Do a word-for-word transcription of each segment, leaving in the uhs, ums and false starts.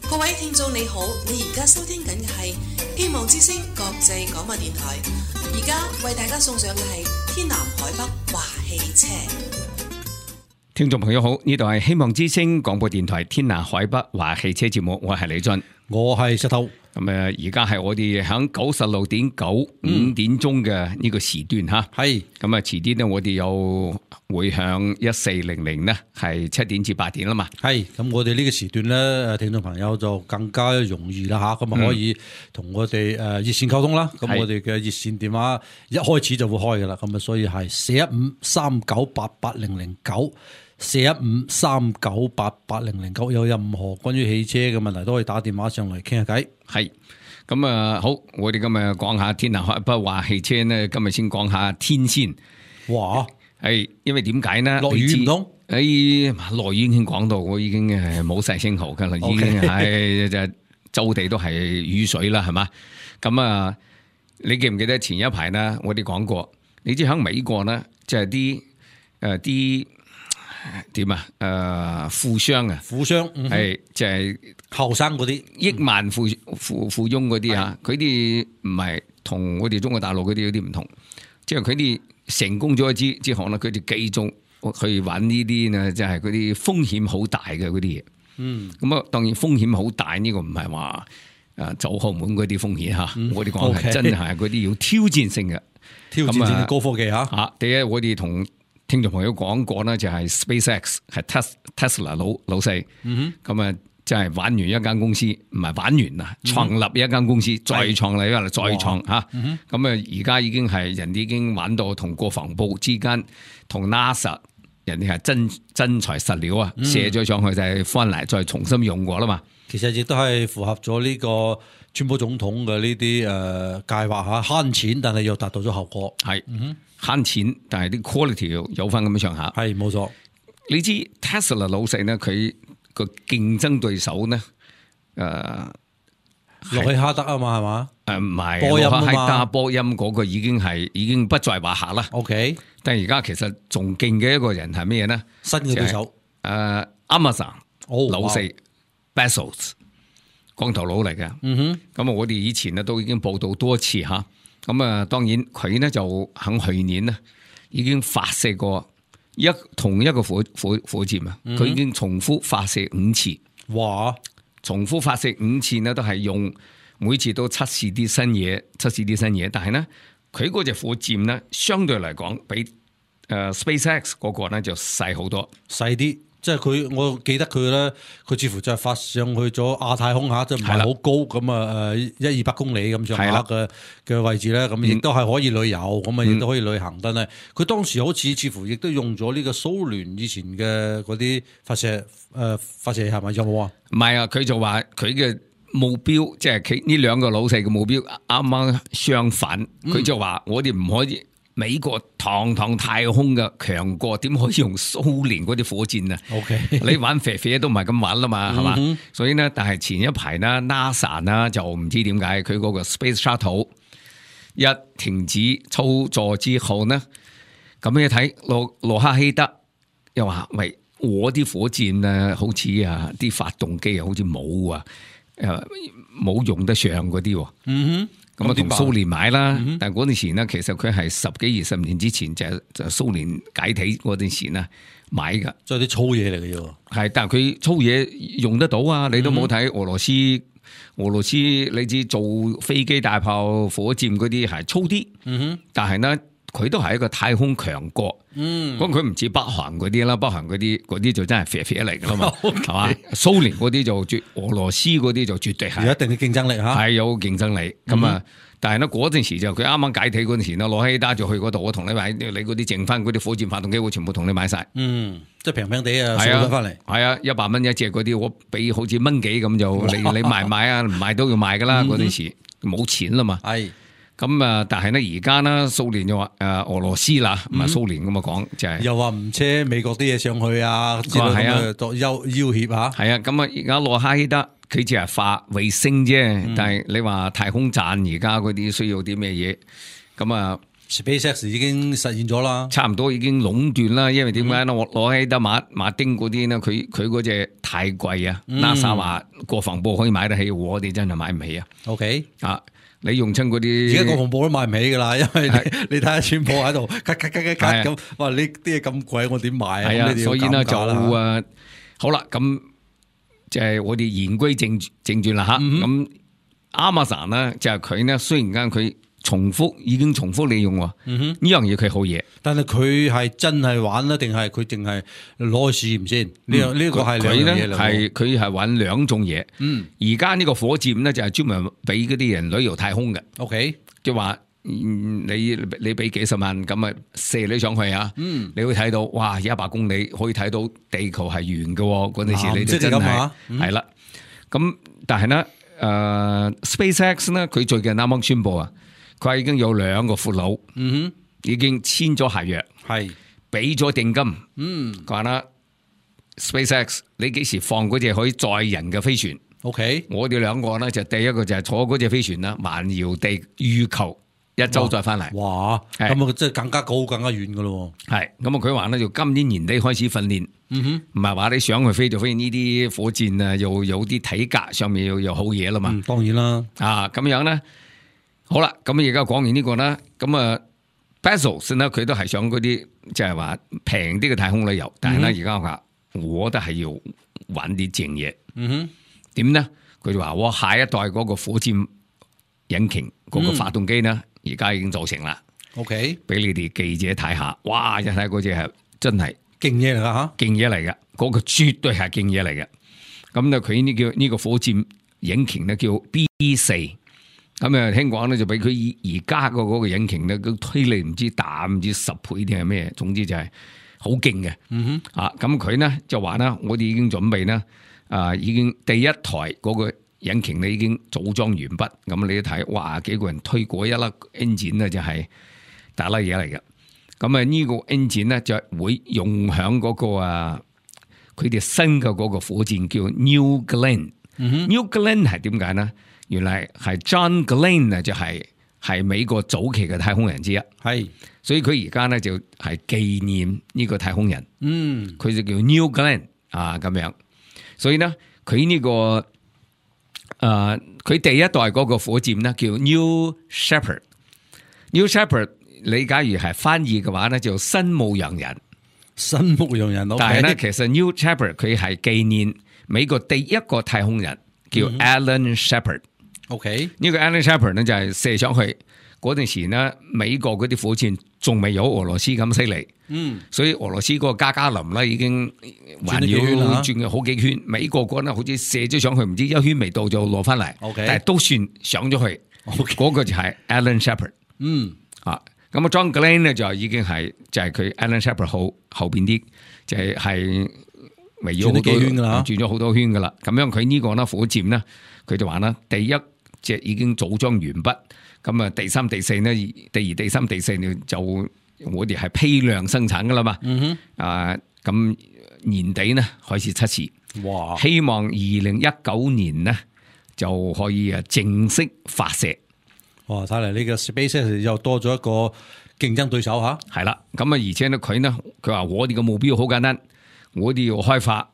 各位聽眾你好，你而家收聽緊嘅係希望之聲國際廣播電台，而家為大家送上嘅係天南海北話汽車。聽眾朋友好，呢度係希望之聲廣播電台天南海北話汽車節目，我係李俊，我係石頭。咁誒，而家係我哋響九十六點九五點鐘嘅呢個時段吓，係咁啊，遲啲咧我哋又會響一四零零咧，係七點至八點啦嘛。係咁，我哋呢個時段咧，誒，聽眾朋友就更加容易啦吓，咁啊可以同我哋誒熱線溝通啦。咁、嗯、我哋嘅熱線電話一開始就會開噶啦，咁啊，所以係四一五三九八八零零九。四一五三九八八零零九，有任何關於汽車嘅問題都可以打電話上嚟傾下偈。係咁啊，好，我哋今日講下天南海北話汽車呢，今日先講下天先。哇，係因為點解呢？落雨唔通？誒，落雨已經講到，我已經係冇晒聲號噶啦，已經係就周地都係雨水啦，係嘛？咁啊，你記唔記得前一排呢？我哋講過，你知喺美國呢，就係啲誒啲。點啊？誒、呃，富商啊，富商係即係後生嗰啲億萬富富富翁嗰啲啊，佢哋唔係同我哋中國大陸嗰啲有啲唔同，即係佢哋成功咗之之後咧，佢哋繼續去揾呢啲呢，即係嗰啲風險好大嘅嗰啲嘢。嗯，咁啊，當然風險好大呢、這個唔係話誒走後門嗰啲風險吓，嗯、我哋講係真係嗰啲要挑戰性嘅，挑戰性嘅高科技吓。吓，第一我哋同聽眾朋友講過呢，就係 SpaceX 係 Tesla 老老細，咁啊，即係玩完一間公司，唔係玩完啊，創立一間公司，再創立一間，再創吓，咁啊，而家已經係人哋已經玩到同國防部之間，同 NASA 人哋係真真材實料啊，射咗上去就係翻嚟再重新用過啦嘛。其實亦都係符合咗呢個川普總統嘅呢啲誒計劃吓，慳錢但係又達到咗效果，係慳錢，但係啲 quality 有有翻咁樣上下。係冇錯。你知 Tesla 老細呢，佢個競爭對手呢，誒，洛希哈德啊嘛，係嘛？誒唔係，波音啊嘛，係打波音嗰個已經係已經不在話下啦。OK，但係而家其實仲勁嘅一個人係咩呢？新嘅對手，誒、呃、Amazon、哦、老四 Bezos 光頭佬嚟嘅。嗯哼，咁啊，我哋以前呢都已經報道多次吓。咁啊，當然佢呢就喺去年呢已經發射過一同一個火火火箭啊，佢、嗯、已經重複發射五次。哇！重複發射五次呢，都係用每次都測試啲新嘢，測試啲新嘢。但係呢，佢嗰隻火箭呢，相對嚟講比誒、呃、SpaceX 嗰個呢就細好多，細啲。即係佢，我記得佢咧，佢似乎就係發上去咗亞太空下，即係唔係好高咁啊？誒，一二百公里咁上下嘅嘅位置咧，咁亦都係可以旅遊，咁啊亦都可以旅行。但係佢當時好似似乎亦都用咗呢個蘇聯以前嘅嗰啲發射誒、呃、發射係咪有冇啊？唔係啊，佢就話佢嘅目標，即係佢呢兩個老細嘅目標啱啱相反。佢、嗯、就話我哋唔可以。美國堂堂太空嘅強國，點可以用蘇聯嗰啲火箭啊 ？OK， 你玩肥肥都唔係咁玩啦嘛，係嘛、嗯？所以呢，但係前一排呢 NASA 呢就唔知點解佢嗰個 Space Shuttle 一停止操作之後呢，咁你睇羅羅克希德又話：喂，我啲火箭啊，好似啊啲發動機啊，好似冇啊，誒冇用得上嗰啲。嗯哼。咁啊，同蘇聯買啦，嗯、但係嗰陣時呢，其實佢係十幾二十年之前就就蘇聯解體嗰陣時呢買噶，即係啲粗嘢嚟嘅啫。係，但係佢粗嘢用得到啊！你都冇睇俄羅斯，俄羅斯你知做飛機、大炮、火箭嗰啲係粗啲，嗯哼，但係呢。佢都係一個太空強國，嗯，咁佢唔似北韓嗰啲啦，北韓嗰啲嗰啲就真係肥肥嚟噶啦嘛，係嘛？蘇聯嗰啲就絕，俄羅斯嗰啲就絕對係有一定嘅競爭力吓，係有競爭力。咁、嗯、啊，但係呢嗰陣時就佢啱啱解體嗰陣時呢，羅希達就去嗰度，我同你買，你嗰啲剩翻嗰啲火箭發動機，我全部同你買晒。嗯，即係平平地啊，送咗翻嚟。係啊，一百蚊一隻嗰啲，我俾好似蚊幾咁就，你你買唔買啊？唔買都要買噶啦，嗰陣時冇錢啦嘛。係。咁啊！但係咧，而家呢，蘇聯就話誒俄羅斯啦，唔係蘇聯咁啊講，就係又話唔車美國啲嘢上去啊，之類咁嘅作要要挾嚇。係啊，咁啊，而家洛克希德佢只係發衛星啫，嗯、但係你話太空站而家嗰啲需要啲咩嘢？咁啊， SpaceX 已經實現咗啦，差唔多已經壟斷啦。因為點解咧？我攞起得馬馬丁嗰啲咧，佢佢嗰隻太貴啊。NASA 話國防部可以買得起，我哋真係買唔起啊。OK 啊，你用親嗰啲，而家國防部都買唔起噶啦，因為你你睇下川普喺度，咔咔咔咔咔咁，哇！呢啲嘢咁貴，我點買啊？係啊，所以咧就誒、啊，好啦，咁就係我哋言歸正正傳啦吓。咁、嗯、Amazon 咧就係佢呢，雖然間佢重複已經重複利用喎，呢、嗯、樣嘢佢好嘢。但係佢係真係玩啦，定係佢淨係攞去試驗先？呢樣呢個係兩樣嘢嚟。係佢係玩兩種嘢。嗯，而家呢個火箭咧就係專門俾嗰啲人旅遊太空嘅。OK， 即係話你你俾幾十萬咁啊射你上去啊，嗯，你會睇到哇一百公里可以睇到地球係圓嘅，嗰陣時你就真係係啦。咁但係咧，誒、呃、SpaceX 咧佢最近啱啱宣布啊。佢已經有兩個俘虜，嗯哼，已經簽咗合約，係俾咗定金，嗯，講啦 ，SpaceX 你幾時放嗰隻可以載人嘅飛船 ？OK， 我哋兩個咧就第一個就係坐嗰隻飛船啦，環繞地月球一周再翻嚟。哇，咁啊，即係更加高、更加遠噶咯。係，咁啊，佢話咧就今年年底開始訓練，嗯哼，唔係話你想去飛就飛，呢啲火箭啊，又有啲體格上面又有好嘢啦嘛、嗯。當然啦，啊咁樣咧。好啦，咁而家講完呢個啦，咁啊 Bezos 咧佢都係想嗰啲即係話平啲嘅太空旅遊，但係咧而家話我都係要玩啲正嘢。嗯哼，點咧？佢就話我下一代嗰個火箭引擎嗰個發動機咧，而、嗯、家已經做成啦。OK， 俾你哋記者睇下，哇！一睇嗰隻係真係勁嘢嚟噶吓，勁嘢嚟嘅，嗰、嗰個絕對係勁嘢嚟嘅。咁咧佢呢叫呢個火箭引擎咧叫 B 四。咁啊，聽講咧就比佢而家個嗰個引擎咧，個推力唔知大唔知十倍定係咩，總之就係好勁嘅。嗯哼，啊，咁佢呢就話啦，我哋已經準備呢，啊，已經第一台嗰個引擎咧已經組裝完畢。咁你一睇，哇，幾個人推過一粒 engine 咧就係大粒嘢嚟嘅。咁啊呢個 engine 咧就會用響嗰個啊，佢哋新嘅嗰個火箭叫 New Glenn。嗯哼 New Glenn 係點解呢？原來係 John Glenn 啊，就係係美國早期嘅太空人之一，係，所以佢而家咧就係紀念呢個太空人，嗯，佢就叫 New Glenn 啊咁樣，所以咧佢呢、這個誒佢、呃、第一代嗰個火箭咧叫 New Shepard，New Shepard 你假如係翻譯嘅話咧就新牧羊人，新牧羊人，但係咧其實 New Shepard 佢係紀念美國第一個太空人叫 Alan Shepard。OK， 呢個 Alan Shepard 咧就係射上去嗰陣時咧，美國嗰啲火箭仲未有俄羅斯咁犀利，嗯，所以俄羅斯嗰個加加林咧已經環繞轉咗好幾圈，美國嗰咧好似射咗上去，唔知一圈未到就落翻嚟，OK， 但係都算上咗去，嗰、okay. 個就係 Alan Shepard， 嗯，啊，咁啊 John Glenn 咧就已經係就係佢 Alan Shepard 後後邊啲就係係圍繞好多圈噶啦，轉咗好多圈噶啦，咁樣佢呢個咧火箭咧，佢就話啦，第一。即係已經組裝完畢，咁啊第三、第四呢？第二、第三、第四呢就我哋係批量生產噶啦嘛。嗯哼，啊咁年底呢開始測試，哇！希望二零一九年呢就可以啊正式發射。哇！睇嚟呢個 SpaceX 又多咗一個競爭對手吓。係啦，咁啊而且呢佢呢佢話我哋嘅目標好簡單，我哋要開發。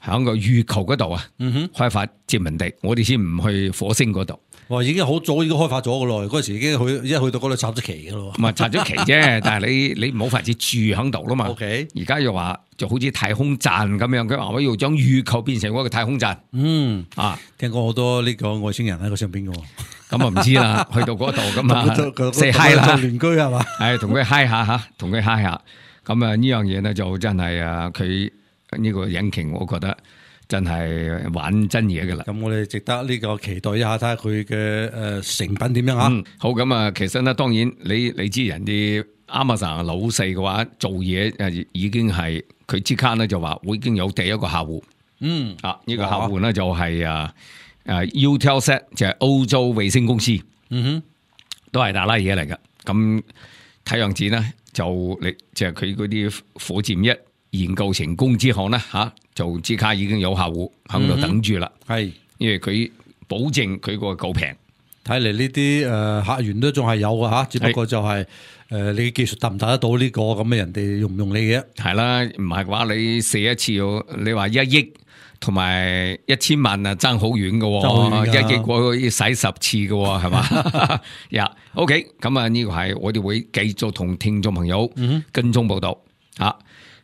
喺個月球嗰度啊，開發殖民地，我哋先唔去火星嗰度。哇，已經好早已經開發咗噶咯，嗰時已經去一去到嗰度插咗旗噶咯。唔係插咗旗啫，但係你你冇法子住喺度啦嘛。OK，而家又話就好似太空站咁樣，佢話我要將月球變成一個太空站。嗯啊，聽講好多呢個外星人喺個上邊噶。咁啊唔知啦，去到嗰度咁啊，say hi 啦，鄰居係嘛？係同佢 hi 下吓，同佢 hi 下。咁啊呢樣嘢咧就真係啊佢。呢個引擎我覺得真係玩真嘢㗎啦，咁我哋值得呢個期待一下，睇下佢嘅誒成品點樣啊、嗯？好，咁啊，其實咧當然你你知人哋 Amazon 老細嘅話做嘢誒已經係佢即刻咧就話會已經有第一個客戶，嗯啊呢、這個客戶咧就係啊誒 Eutelsat 就係歐洲衛星公司，嗯哼，都係大拉嘢嚟㗎。咁睇樣子咧就你就係佢嗰啲火箭一研究成功之後呢，吓就即刻已經有客戶喺度等住啦。係、嗯，因為佢保證佢個夠平，睇嚟呢啲誒客源都仲係有嘅嚇，只不過就係、是、誒、呃、你技術達唔達得到呢、這個咁嘅人哋用唔用你嘅？係啦，唔係嘅話你射一次要你話一億同埋一千萬啊，爭好遠嘅喎，一億過去使十次嘅喎，係嘛？呀、yeah, ，OK， 咁啊呢個係我哋會繼續同聽眾朋友跟蹤報導嚇。嗯、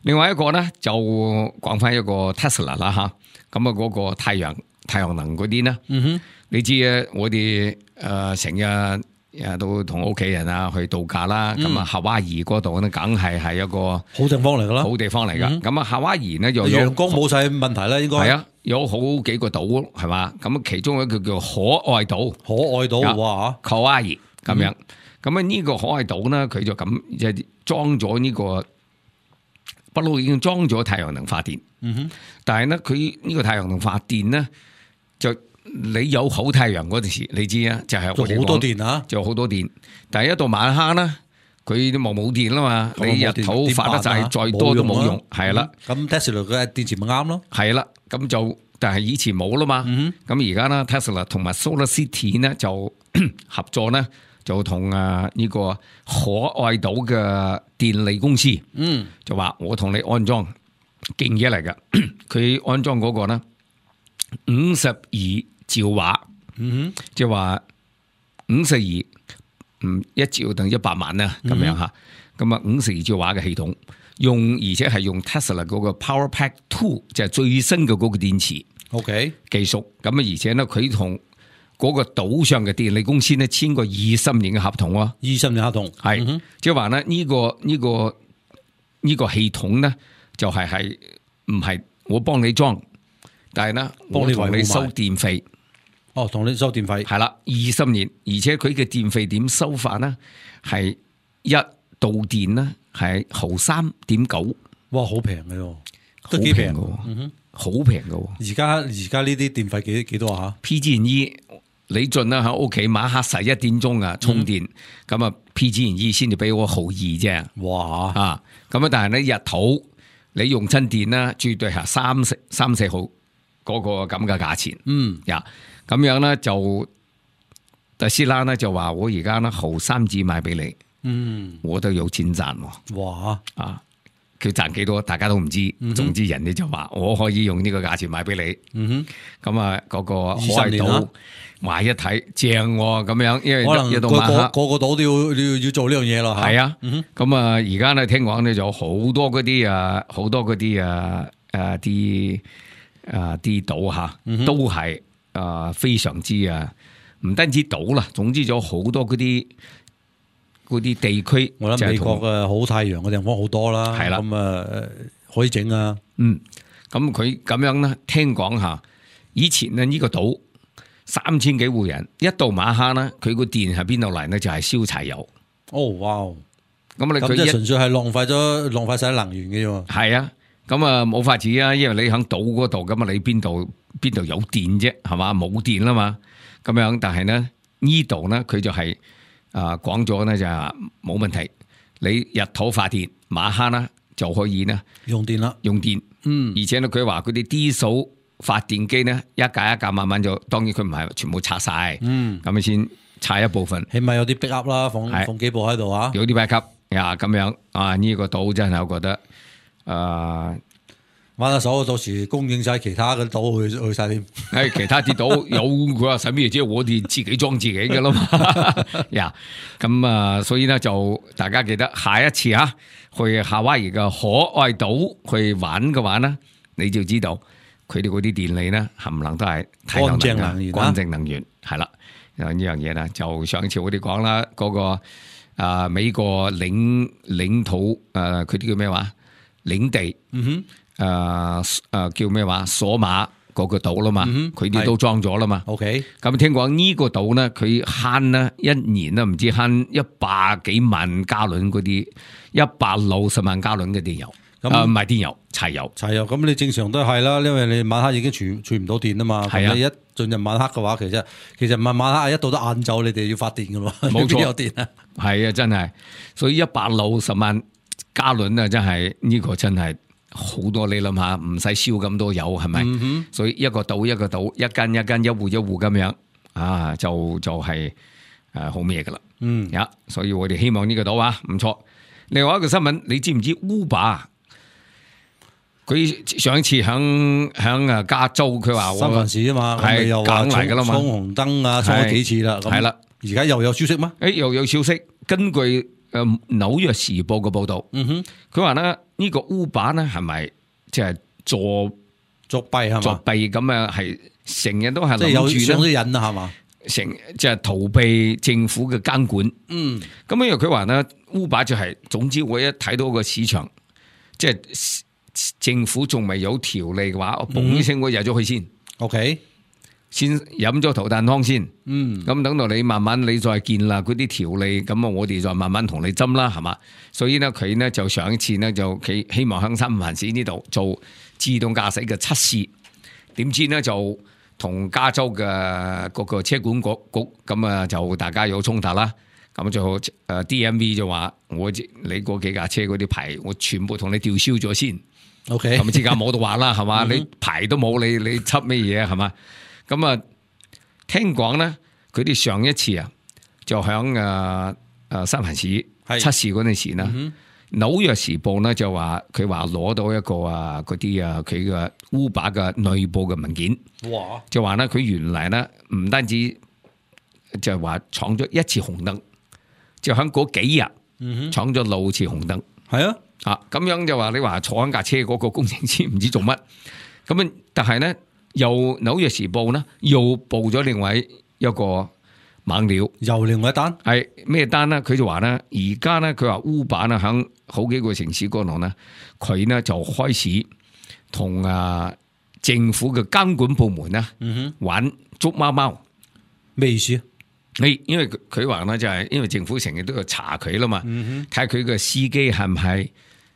另外一個咧就講翻一個 Tesla 啦嚇，咁啊嗰個太陽太陽能嗰啲咧，嗯、哼你知啊，我哋誒成日。誒，都同屋企人啊去度假啦，咁啊、嗯、夏威夷嗰度咧，梗係係一個好地方嚟噶啦，好地方嚟噶。咁啊、嗯、夏威夷咧又陽光冇晒問題啦，應該係啊，有好幾個島係嘛，咁其中一個叫可愛島，可愛島哇，夏威夷咁樣。咁啊呢個可愛島咧，佢就咁即係裝咗呢個不嬲已經裝咗太陽能發電。嗯哼，但係咧佢呢個太陽能發電咧就。你有好太陽嗰陣時，你知啊，就係做好多電啊，做好多電。但係一到晚黑咧，佢都冇冇電啦嘛。你日頭發得晒，再多都冇用。係啦，咁 Tesla 嘅電池咪啱咯。係啦，咁就但係以前冇啦嘛。咁而家咧 Tesla 同埋 Solar City 咧就合作咧，就同啊呢個可愛島嘅電力公司，嗯，就話我同你安裝勁嘢嚟㗎。佢安裝嗰個咧五十二。兆瓦，嗯哼，即係話五十二，嗯，一兆等一百萬啦，咁樣吓，咁啊五十二兆瓦嘅系統，用而且係用 Tesla 嗰個 Power Pack Two，就係最新嘅嗰個電池，OK 技術，咁啊而且咧佢同嗰個島上嘅電力公司咧簽過二十年嘅合同喎，二十年合同係，嗯、即係話咧呢個呢、這個呢、這個系統咧就係係唔係我幫你裝，但係咧我同你收電費。哦，同你收電費係啦，二十年，而且佢嘅電費點收法呢？係一度電呢，係毫三點九，哇，好平嘅喎，都幾平嘅，嗯哼，好平嘅。而家而家呢啲電費幾幾多啊 ？P G and E 你盡啦喺屋企晚黑十一點鐘啊充電，咁啊、嗯、P G and E 先至俾我毫二啫。哇啊，咁啊但係咧日頭你用親電啦，絕對係三四三四毫嗰個咁嘅價錢。嗯呀。咁樣咧就特斯拉咧就話我而家咧毫三子賣俾你，嗯，我都有錢賺喎。哇！啊，佢賺幾多大家都唔知，嗯、總之人哋就話我可以用呢個價錢賣俾你。嗯哼，咁啊嗰個可愛島話一睇正喎，咁樣因為可能一到晚黑個個島都要要要做呢樣嘢咯。係啊，咁啊而家咧聽講咧就好多嗰啲啊好多嗰啲啊誒啲啊啲島吓都係。啊、呃，非常之啊，唔單止島啦，總之咗好多嗰啲嗰啲地區，我諗美國嘅好太陽嘅地方好多啦，係啦，咁啊可以整啊，嗯，咁佢咁樣咧，聽講吓，以前咧呢個島三千幾戶人，一到晚黑咧，佢個電喺邊度嚟咧？就係燒柴油。哦，哇，咁你佢即係純粹係浪費咗浪費晒能源嘅啫。係啊，咁啊冇法子啊，因為你喺島嗰度，咁啊你邊度？邊度有電啫，係嘛？冇電啦嘛，咁樣。但係咧呢度咧，佢就係啊講咗咧就係冇問題。你日頭發電，晚黑啦就可以咧用電啦，用電。嗯，而且咧佢話嗰啲低數發電機咧一架一架慢慢就，當然佢唔係全部拆晒。嗯，咁樣先拆一部分，起碼有啲 backup 啦，放是放幾部喺度啊，有啲 backup 呀咁樣啊呢、這個島真係我覺得啊。呃玩下手，到時供應晒其他嘅島去去晒添。誒，其他啲島有佢話使咩啫？我哋自己裝自己嘅啦嘛。呀，咁啊，所以咧就大家記得下一次啊，去夏威夷嘅可愛島去玩嘅話呢，你就知道佢哋嗰啲電力咧冚唪唥都係太陽能能源，乾淨能源係啦。呢樣嘢咧就上次我哋講啦，嗰、那個啊、呃、美國領領土誒，佢啲叫咩話領地？嗯哼。誒誒、呃呃，叫咩話？索馬嗰個島啦嘛，佢哋、嗯、都裝咗啦嘛。OK，咁聽講呢個島咧，佢慳咧一年咧唔知慳一百幾萬加侖嗰啲一百六十萬加侖嘅電油，咁唔係電油，柴油，柴油。咁你正常都係啦，因為你晚黑已經儲儲唔到電啊嘛。係啊，你一進入晚黑嘅話，其實其實唔係晚黑，一到得晏晝，你哋要發電噶咯，冇錯，有電啊。係啊，真係，所以一百六十萬加侖啊，真係呢、這個真係。好多你諗下，唔使燒咁多油係咪？嗯、哼所以一個島一個島，一間一間一戶一戶咁樣啊，就就係誒好咩噶啦。嗯，呀，所以我哋希望呢個到啊，唔錯。另外一個新聞，你知唔知 Uber？佢上一次響響啊加州，佢話三藩市啊嘛，係又話梗嚟噶啦嘛，衝紅燈啊，衝咗幾次啦，係啦，而家又有消息咩？誒，又有消息，根據誒紐約時報嘅報道，嗯哼，佢話咧呢個 Uber 咧係咪即係作作弊係嘛？作弊咁樣，係成日都係即係有諗住上咗咧，癮啊係嘛？成即係逃避政府嘅監管。嗯，咁因為佢話咧 Uber 就係，總之我一睇到個市場，即係。政府仲未有條例嘅話，我嘣一聲我入咗去先 ，OK，先飲咗頭啖湯先，嗯，咁等到你慢慢你再建立嗰啲條例，咁啊我哋再慢慢同你斟啦，係嘛？所以咧佢咧就上一次咧就佢希望喺三藩市呢度做自動駕駛嘅測試，點知咧就同加州嘅嗰個車管局局咁啊就大家有衝突啦。咁就誒 D M V 就話我你嗰幾架車嗰啲牌，我全部同你吊銷咗先。OK，咁之間冇得玩啦，係嘛？你牌都冇，你你執咩嘢係嘛？咁啊，聽講咧，佢哋上一次啊，就響誒誒三藩市測試嗰陣時啦，紐約時報咧就話佢話攞到一個啊嗰啲啊佢嘅 Uber 嘅內部嘅文件，哇！就話咧佢原來咧唔單止就係話闖咗一次紅燈。就喺嗰幾日闖咗六次紅燈，係啊，啊咁樣就話你話坐喺架車嗰個工程師唔知做乜，咁啊但係咧又紐約時報咧又報咗另外一個猛料，又另外一單係咩單咧？佢就話咧而家咧佢話 Uber 咧喺好幾個城市嗰度咧，佢咧就開始同啊政府嘅監管部門咧玩捉貓貓，咩意思啊？你因為佢話咧就係因為政府成日都要查佢啦嘛，睇下佢個司機係唔係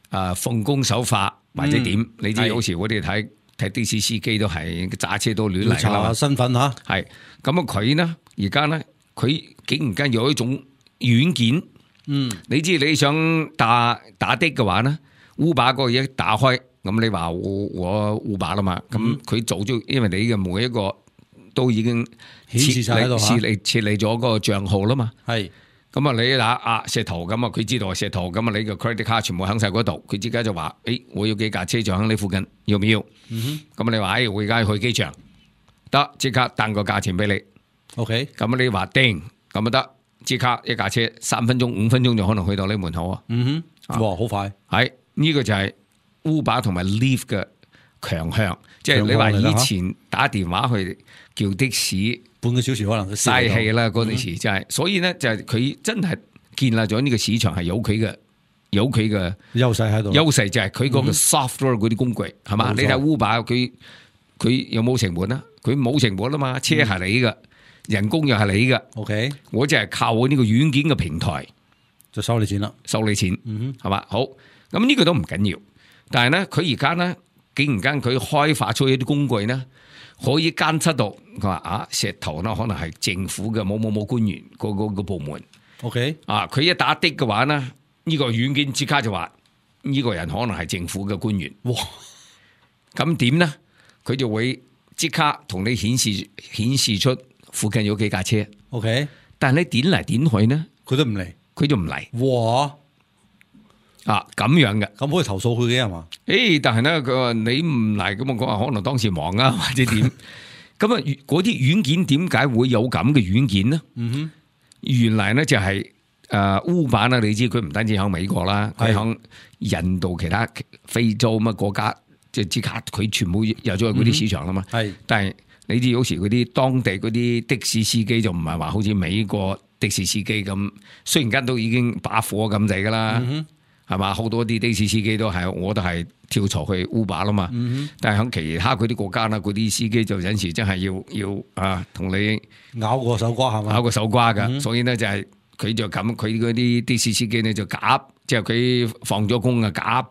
啊奉公守法或者點？嗯、你知有時我哋睇睇的士司機都係揸車都亂嚟噶啦嘛。查身份吓，係咁啊！佢呢而家呢，佢竟然間有一種軟件，嗯，你知你想打打的嘅話呢 Uber 嗰個嘢打開，咁你話我我 Uber 啦嘛，咁佢做咗，因為你嘅每一個。都已經顯示晒喺度設立設立咗嗰個賬號啦嘛，係咁啊你打啊石頭咁啊，佢知道係石頭咁啊，你個 credit card 全部喺晒嗰度，佢即刻就話，誒、哎、我要幾架車就喺你附近，要唔要？咁、嗯、你話，誒、哎、我而家去機場，得即刻彈個價錢俾你 ，OK，咁你話叮，咁啊得，即刻一架車三分鐘五分鐘就可能去到你門口啊，嗯哼，哇好快，係呢、這個就係 Uber 同埋 Lyft 嘅強項，即係你話以前打電話去。叫的士半個小時可能嘥氣啦，嗰陣時真係，所以咧就係佢真係建立咗呢個市場係有佢嘅有佢嘅優勢喺度。優勢就係佢嗰個 software 嗰啲工具係嘛？你睇 Uber 佢佢有冇成本啊？佢冇成本啊嘛，車係你嘅，人工又係你嘅。OK，我就係靠我呢個軟件嘅平台就收你錢啦，收你錢，係嘛？好，咁呢個都唔緊要，但係咧佢而家咧竟然間佢開發出一啲工具咧。可以監測到佢話啊石頭啦，可能係政府嘅某某某官員嗰個個部門。OK，啊，佢一打的嘅話呢，呢、呢個軟件即刻就話呢、呢個人可能係政府嘅官員。哇！咁點呢？佢就會即刻同你顯示顯示出附近有幾架車。OK，但係你點嚟點去呢？佢都唔嚟，佢就唔嚟。哇！啊咁樣嘅，咁可以投訴佢嘅係嘛？誒、欸，但係咧佢話你唔嚟咁啊，講話可能當時忙啊或者點，咁啊嗰啲軟件點解會有咁嘅軟件呢？嗯哼，原來咧就係、是、誒、呃、Uber 啦，你知佢唔單止喺美國啦，佢喺印度其他非洲乜國家，即係即刻佢全部入咗去嗰啲市場啦嘛。係、嗯，但係你知有時嗰啲當地嗰啲的士司機就唔係話好似美國的士司機咁，雖然間都已經把火咁滯噶啦。嗯係嘛？好多啲的士司機都係，我都係跳槽去 Uber 啦嘛。嗯、但係喺其他嗰啲國家啦，嗰啲司機就有時真係要要啊，同你咬個手瓜係嘛？咬個手瓜噶。嗯、所以咧就係、是、佢就咁，佢嗰啲的士司機咧就假，即係佢放咗工啊，假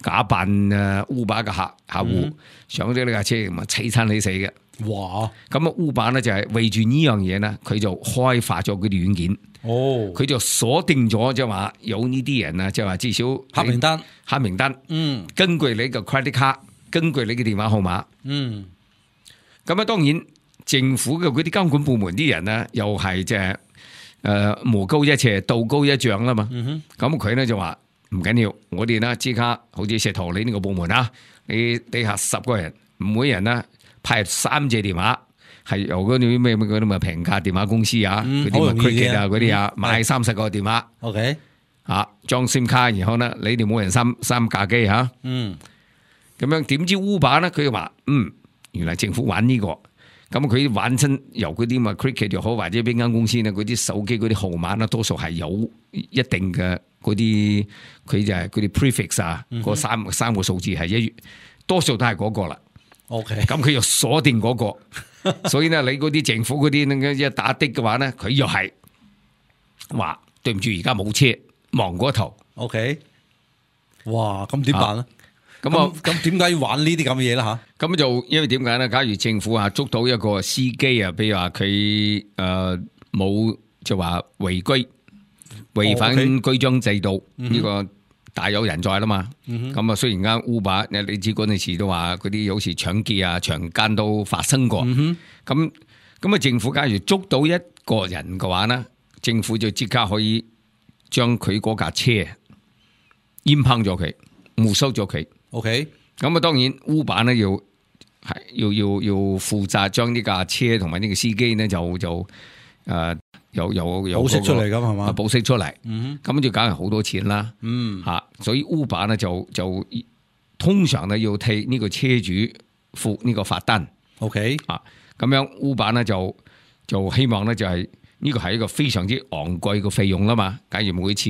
假扮誒 Uber 嘅客客戶、嗯、上咗呢架車，咁啊凄親你死嘅。哇！咁啊 Uber 咧就係為住呢樣嘢咧，佢就開發咗嗰啲軟件。哦，佢就鎖定咗，即係話有呢啲人啊，即係話至少黑名單，黑名單。嗯，根據你嘅 credit card，根據你嘅電話號碼。嗯，咁啊，當然，即政府嘅嗰啲監管部門啲人咧，又係即係誒魔高一尺，道高一丈啦嘛。咁佢咧就話唔緊要，我哋咧即刻好似石頭你呢個部門啊，你底下十個人，每人咧派三隻電話。係由嗰啲咩嗰啲咪平價電話公司啊，嗰啲咪 cricket 啊嗰啲啊，買三十個電話 ，OK， 啊裝 SIM 卡，然後咧你哋每人三三架機吓，嗯，咁樣點知 Uber 咧佢話嗯，原來政府玩呢個，咁佢玩親由嗰啲咪 cricket 又好或者邊間公司咧，嗰啲手機嗰啲號碼咧，多數係有一定嘅嗰啲，佢就係嗰啲 prefix 啊，嗰三三個數字係一，多數都係嗰個啦。OK， 咁佢又鎖定嗰個，所以咧你嗰啲政府嗰啲一打的嘅話咧，佢又係話對唔住，而家冇車，忙過頭。OK， 哇，咁點辦咧？咁啊，咁點解要玩呢啲咁嘅嘢啦吓？咁就因為點解咧？假如政府啊捉到一個司機啊，譬如話佢誒冇就話違規違反居章制度呢個。大有人在啦嘛，咁啊雖然間 Uber 你知嗰陣時都話嗰啲有時搶劫啊、強姦都發生過，咁咁啊政府假如捉到一個人嘅話咧，政府就即刻可以將佢嗰架車閹烹咗佢，沒收咗佢。OK， 咁啊當然 Uber 咧要係要要要負責將呢架車同埋呢個司機咧就就誒。呃有有有保釋出嚟咁係嘛？保釋出嚟，咁就梗係好多錢啦。嗯，吓，所以 Uber 咧就就通常咧要替呢個車主付呢個罰單。OK， 啊，咁樣 Uber 咧就就希望咧就係呢個係一個非常之昂貴嘅費用啦嘛。假如每次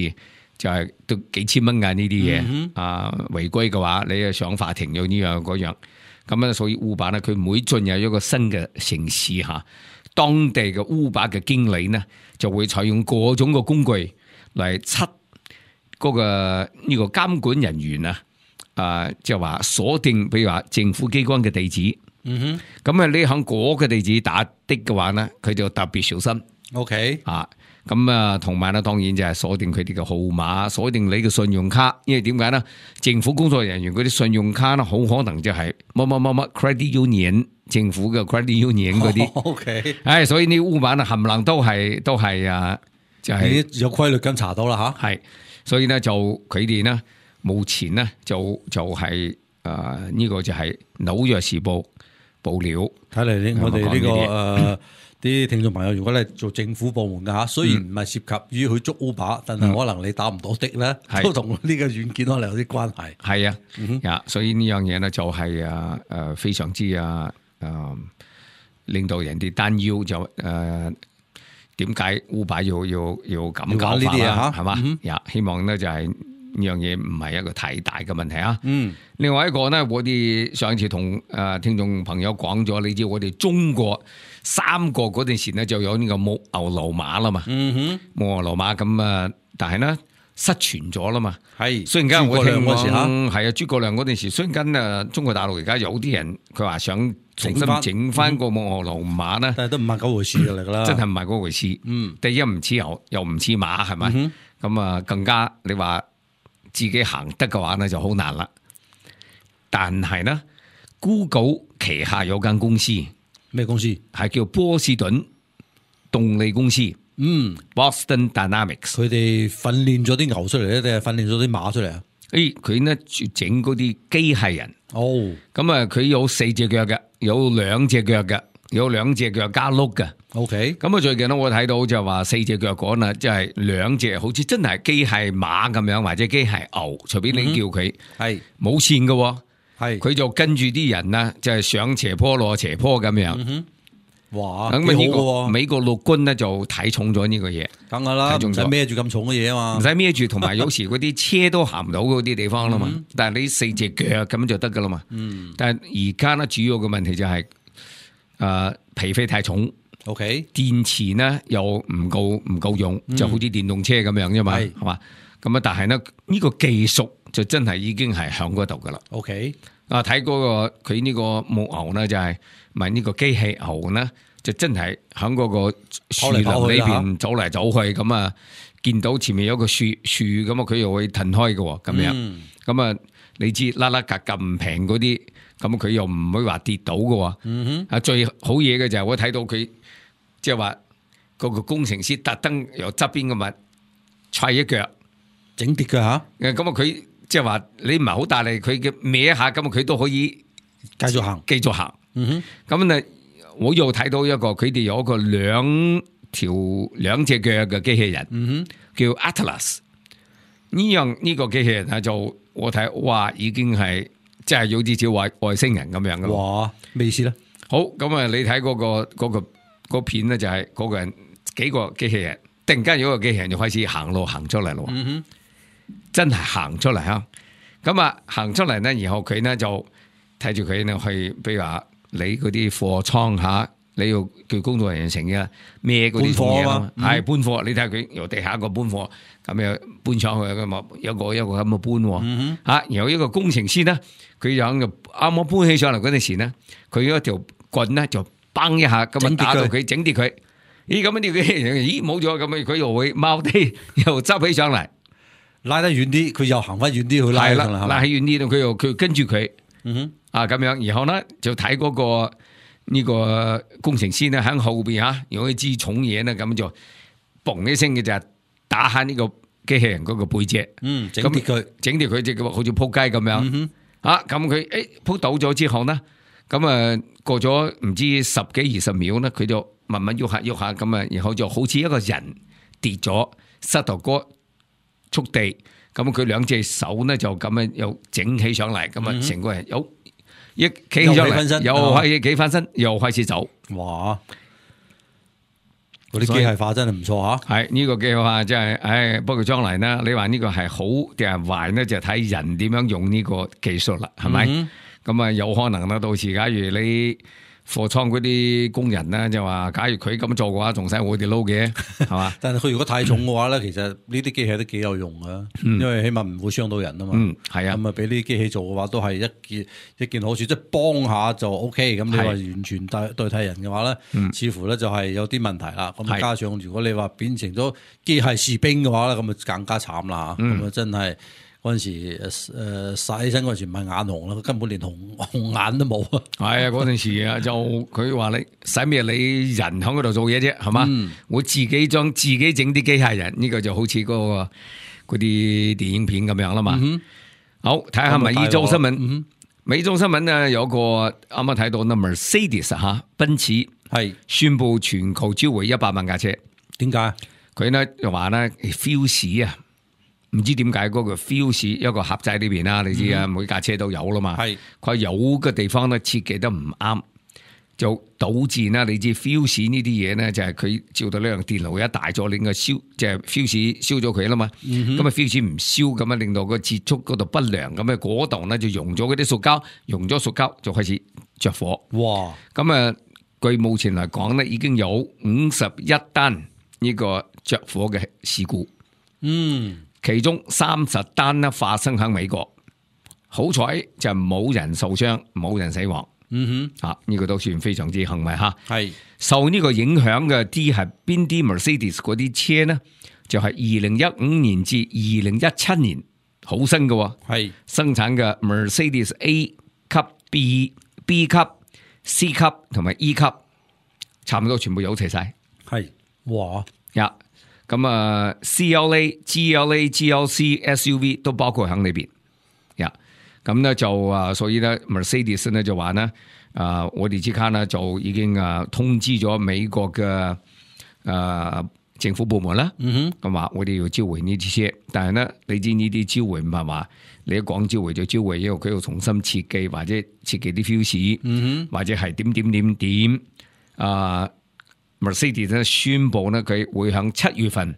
就係都幾千蚊㗎呢啲嘢，啊違規嘅話，你啊上法庭有呢樣嗰樣。咁咧，所以 Uber 咧佢每進入一個新嘅城市吓。當地嘅 Uber 嘅經理呢，就會採用各種嘅工具嚟測嗰個呢個監管人員啊，啊即係話鎖定，比如話政府機關嘅地址。嗯哼，咁啊，你響嗰個地址打的嘅話呢，佢就特別小心。OK， 啊，咁啊，同埋咧，當然就係鎖定佢哋嘅號碼，鎖定你嘅信用卡，因為點解呢？政府工作人員嗰啲信用卡呢，好可能就係乜乜乜乜 credit union。政府嘅 credit union 嗰啲 ，OK， 唉，所以呢污版啊，冚唪唥都係都係啊，就係、是、有規律咁查到啦吓，係，所以咧就佢哋呢，目前呢，就就係誒呢個就係紐約時報報料，睇嚟呢我哋呢、這個誒啲、呃、聽眾朋友，如果你做政府部門嘅吓，雖然唔係涉及於去捉 Uber，、嗯、但係可能你打唔到的咧，嗯、都同呢個軟件可能有啲關係。係啊，嗯、啊，所以呢樣嘢咧就係啊誒非常之啊。誒、呃，令到人哋擔憂就誒，點、呃、解 Uber 要要要咁搞法啦？係嘛？呀、嗯，希望咧就係呢樣嘢唔係一個太大嘅問題啊。嗯，另外一個咧，我哋上次同誒聽眾朋友講咗，你知我哋中國三國嗰陣時咧就有呢個木牛流馬啦嘛。嗯哼，木牛流馬咁啊，但係咧失傳咗啦嘛。係，雖然間我聽講係啊，諸葛亮嗰陣時，雖然間啊，中國大陸而家有啲人佢話想重新整翻個木牛流馬咧，但係都唔係嗰回事嚟噶啦，真係唔係嗰回事。嗯，第一唔似牛，又唔似馬，係咪？咁、嗯、啊，更加你話自己行得嘅話咧，就好難啦。但係咧 ，Google 旗下有間公司，咩公司？係叫波士頓動力公司。嗯 ，Boston Dynamics， 佢哋訓練咗啲牛出嚟咧，定係訓練咗啲馬出嚟啊？誒，佢咧整嗰啲機械人。哦，咁啊，佢有四隻腳嘅，有兩隻腳嘅，有兩隻腳加轆嘅。OK，咁啊，最近咧我睇到就話四隻腳嗰啦，即係兩隻好似真係機械馬咁樣，或者機械牛，隨便你叫佢，係冇線嘅，係佢就跟住啲人啦，就係上斜坡落斜坡咁樣。嗯哇，咁啊呢個美國陸軍咧就睇重咗呢個嘢，梗係啦，唔使孭住咁重嘅嘢啊嘛，唔使孭住，同埋有時嗰啲車都行唔到嗰啲地方啦嘛，嗯、但係你四隻腳咁就得噶啦嘛。嗯，但係而家咧主要嘅問題就係、是、誒、呃、皮費太重 ，OK， 電池呢又唔夠唔夠用，就好似電動車咁樣啫嘛，係、嗯、嘛，咁啊但係呢，呢、這個技術就真係已經係響嗰度噶啦。OK， 啊睇嗰個佢呢個木牛呢就係、是。咪呢個機器牛咧，就真係喺嗰個樹林裏邊走嚟走去，咁啊見到前面有個樹樹咁啊，佢又會騰開嘅咁樣，咁啊你知啦啦格咁平嗰啲，咁佢又唔會話跌到嘅喎。嗯哼，啊最好嘢嘅就係我睇到佢即係話嗰個工程師特登由側邊嘅物踹一腳整跌嘅嚇。誒咁啊佢即係話你唔係好大力，佢嘅歪一下，咁啊佢都可以繼續行，繼續行。嗯哼，咁咧我又睇到一個佢哋有一個兩條兩隻腳嘅機器人，嗯哼，叫 Atlas。呢樣呢個機器人啊，就我睇哇，已經係即係有啲似外外星人咁樣噶。哇，咩意思咧？好咁啊，你睇嗰、嗰個嗰、嗰個嗰個片咧，就係嗰個人幾個機器人，突然間有一個機器人就開始行路行出嚟咯。嗯哼，真係行出嚟啊！咁啊，行出嚟咧，然後佢咧就睇住佢咧去，比如話你嗰啲貨倉吓。你要叫工作人員成日孭嗰啲嘢咯，係搬貨。你睇下佢由地下個搬貨，咁樣搬上去咁啊，一個一個咁嘅搬。嗯吓，然後一個工程師咧，佢就啱啱搬起上嚟嗰陣時咧，佢嗰條棍咧就崩一下，咁啊打到佢整跌佢。咦，咁樣啲佢咦冇咗，咁啊佢又會踎低，又執起上嚟，拉得遠啲，佢又行翻遠啲去拉上嚟，拉起遠啲，佢又佢跟住佢。嗯哼，啊咁樣，然後咧就睇嗰個。呢個工程師咧喺後邊吓，如果佢支重嘢咧，咁就嘣一聲嘅就打下呢個機器人嗰個背脊，嗯，整跌佢，整跌佢隻好似扑街咁樣，嗯、啊咁佢誒扑倒咗之後呢，咁啊過咗唔知十幾二十秒咧，佢就慢慢喐下喐下咁啊，然後就好似一個人跌咗，膝頭哥觸地，咁佢兩隻手咧就咁樣又整起上嚟，咁啊成個人有。一企起上嚟，又開始企翻身，又開始走。哇！嗰啲機械化真係唔錯吓。係呢、這個機械化真係，唉，不過將來呢，你話呢個係好定係壞呢？就睇人點樣用呢個技術啦，係咪？咁啊、嗯，有可能啦。到時假如你貨倉嗰啲工人咧，就話假如佢咁做嘅話，仲使我哋撈嘅，係嘛？但係佢如果太重嘅話咧，其實呢啲機器都幾有用噶，嗯、因為起碼唔會傷到人啊嘛。嗯，係啊。咁啊，俾呢啲機器做嘅話，都係一件一件好處，即係幫下就 O K。咁你話完全代代替人嘅話咧，嗯、似乎咧就係有啲問題啦。咁加上如果你話變成咗機械士兵嘅話咧，咁啊更加慘啦。咁啊、嗯、真係。嗰陣時誒曬起身嗰陣時唔係眼紅啦，佢根本連紅紅眼都冇啊！係啊，嗰陣時啊，就佢話你使咩？你人喺嗰度做嘢啫，係嘛？嗯、我自己將自己整啲機械人，呢、這個就好似嗰、那個嗰啲電影片咁樣啦嘛。嗯、好，睇下美洲新聞。嗯、美洲新聞啊，有個啱啱睇到呢 Mercedes 嚇，奔馳係宣布全球召回一百萬架車。點解？佢呢就話呢 Fuse 啊。唔知點解嗰個 Fuse 一個盒仔裏邊啦，你知啊，每架車都有啦嘛。係佢、嗯、有嘅地方咧設計得唔啱，就導致啦。你知 Fuse 呢啲嘢咧，就係佢照到呢樣電路一大咗，令個燒即係 Fuse 燒咗佢啦嘛。咁啊 Fuse 唔燒咁啊，令到個接觸嗰度不良，咁啊嗰度咧就溶咗嗰啲塑膠，溶咗塑膠就開始着火。哇！咁啊，據目前嚟講咧，已經有五十一單呢個着火嘅事故。嗯。其中三十單咧發生喺美國，好彩就冇人受傷，冇人死亡。嗯哼，啊呢、這個都算非常之幸運吓。係是受呢個影響嘅啲係邊啲 Mercedes 嗰啲車呢？就係二零一五年至二零一七年好新嘅，係是生產嘅 Mercedes A 級、B、B 級、C 級同埋 E 級，差唔多全部有齊晒。係哇呀！咁啊 ，C L A、G L A、G L C、S U V 都包括喺裏邊，呀，咁咧就啊，所以咧 Mercedes 咧就話咧，啊，我哋即刻咧就已經啊通知咗美國嘅啊政府部門啦，嗯哼，咁話我哋要召回呢啲車，但係咧你知呢啲召回唔係話你一講召回就召回，因為佢要重新設計或者設計啲 fuse，嗯哼，或者係點點點點啊。Mercedes 咧宣布咧，佢會喺七月份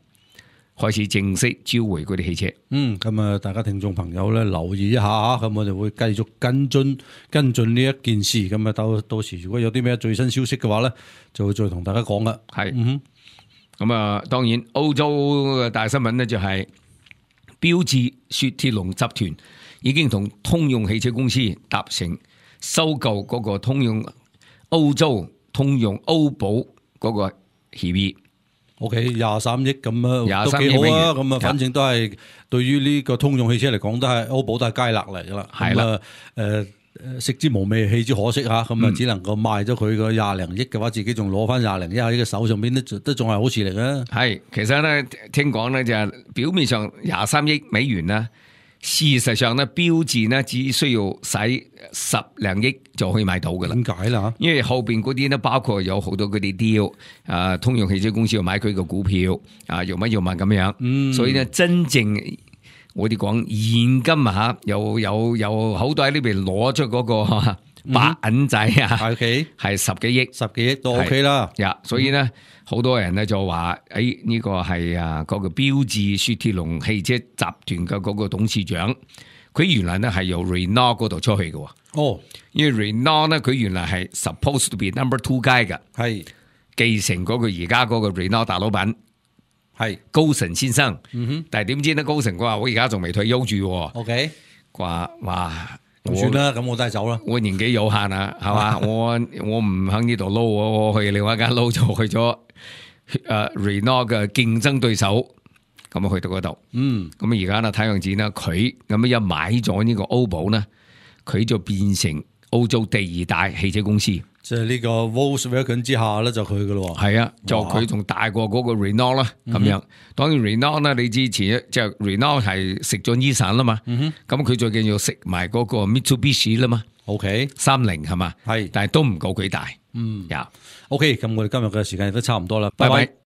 開始正式召回嗰啲汽車。嗯，咁啊，大家聽眾朋友咧留意一下啊，咁我哋會繼續跟進跟進呢一件事。咁啊，到到時如果有啲咩最新消息嘅話咧，就會再同大家講啦。係，嗯哼，咁啊，當然歐洲嘅大新聞咧就係標致雪鐵龍集團已經同通用汽車公司達成收購嗰個通用歐洲通用歐寶嗰個協議， OK， 廿三億咁啊，廿都三億美元幾好啊！咁啊，反正都係對於呢個通用汽車嚟講，都係歐寶都係佳樂嚟噶啦。係啦咁啊，誒誒食之無味，棄之可惜嚇。咁啊，只能夠賣咗佢個廿零億嘅話，自己仲攞翻廿零億喺個手上邊，都都仲係好事嚟嘅。係，其實咧聽講咧就係表面上廿三億美元啦，事實上咧標誌呢只需要使十零億就可以買到噶啦。點解啦？因為後邊嗰啲咧包括有好多嗰啲 deal，啊，通用汽車公司要買佢個股票，啊，要乜要乜咁樣，嗯、所以咧真正我哋講現金啊，有有有好多喺呢邊攞出嗰個白銀仔啊， OK 係十幾億，十幾億都 OK 啦。呀，所以咧好多人咧就話，誒呢個係啊嗰個標緻雪鐵龍汽車集團嘅嗰個董事長，佢原來咧係由 Renault 嗰度出去嘅。哦，因為 Renault 咧佢原來係 supposed to be number two guy 嘅，係繼承嗰個而家嗰個 Renault 大老闆係高盛先生。嗯哼，但係點知咧高盛佢話我而家仲未退休住，OK，話哇咁算啦，咁我都係走啦。我年紀有限啊，係嘛？我我唔喺呢度撈，我我去另外一間撈就去咗誒 Renault 嘅競爭對手，咁啊去到嗰度。嗯，咁而家咧睇樣子咧，佢咁一買咗呢個歐寶咧，佢就變成歐洲第二大汽車公司。即係呢個 Volkswagen 之下咧，就佢噶咯。係啊，就佢仲大過嗰個 Renault 啦，咁樣。當然 Renault 咧，你之前即係 Renault 係食咗 Nissan 啦嘛，咁佢最近要食埋嗰個 Mitsubishi 啦嘛。OK， 三菱係嘛，係，但係都唔夠佢大。嗯，呀 ，OK，咁我哋今日嘅時間亦都差唔多啦，拜拜。拜拜。